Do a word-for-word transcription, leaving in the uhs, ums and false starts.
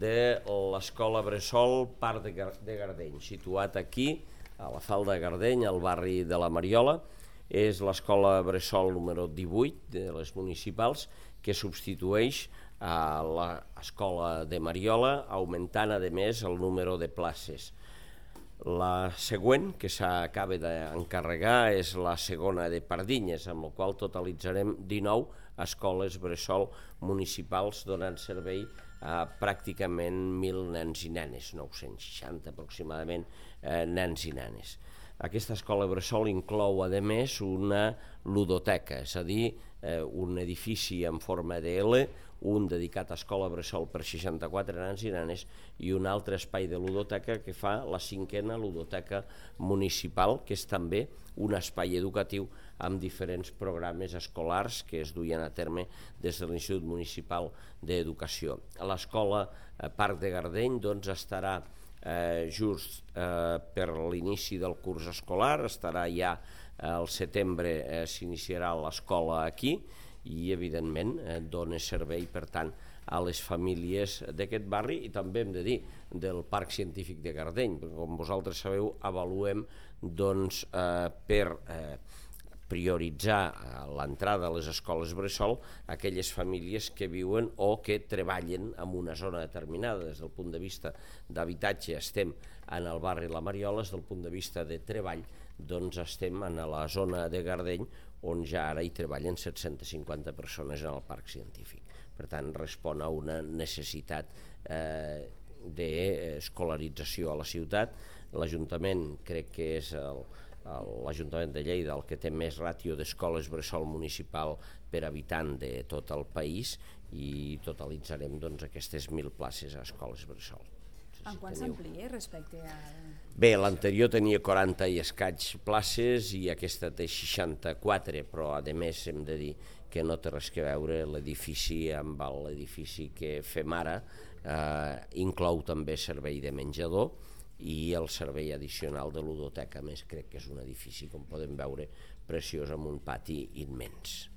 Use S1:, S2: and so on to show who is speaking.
S1: de l'escola Bressol Parc de Gardeny, situat aquí, a la Falda de Gardeny, al barri de la Mariola. És l'escola Bressol número divuit de les municipals, que substitueix a l'escola de Mariola, augmentant a més el número de places. La següent, que s'acaba d'encarregar, és la segona de Pardinyes, amb la qual totalitzarem dinou escoles bressol municipals donant servei a pràcticament mil nens i nenes, nou-cents seixanta aproximadament eh, nens i nenes. Aquesta escola bressol inclou, a més, una ludoteca, és a dir, eh, un edifici en forma de L, un dedicat a escola bressol per seixanta-quatre nens i nenes i un altre espai de ludoteca que fa la cinquena ludoteca municipal, que és també un espai educatiu amb diferents programes escolars que es duien a terme des de l'Institut Municipal d'Educació. L'escola Parc de Gardeny doncs, estarà eh, just eh, per l'inici del curs escolar, estarà ja al setembre, eh, s'iniciarà l'escola aquí, i evidentment eh, dona servei per tant a les famílies d'aquest barri i també hem de dir del Parc Científic de Gardeny, perquè com vosaltres sabeu avaluem doncs, eh, per eh, prioritzar l'entrada a les escoles bressol aquelles famílies que viuen o que treballen en una zona determinada. Des del punt de vista d'habitatge estem en el barri La Mariola, des del punt de vista de treball doncs estem en la zona de Gardeny, on ja ara hi treballen set-cents cinquanta persones en el Parc Científic. Per tant, respon a una necessitat eh, d'escolarització a la ciutat. L'Ajuntament crec que és el, l'Ajuntament de Lleida el que té més ràtio d'escoles bressol municipal per habitant de tot el país i totalitzarem doncs, aquestes mil places a escoles bressol.
S2: En quant s'amplia respecte a...
S1: Bé, l'anterior tenia quaranta i escaig places i aquesta té seixanta-quatre, però a més hem de dir que no té res que veure l'edifici amb l'edifici que fem ara, eh, inclou també servei de menjador i el servei addicional de ludoteca. A més, crec que és un edifici, com podem veure, preciós amb un pati immens.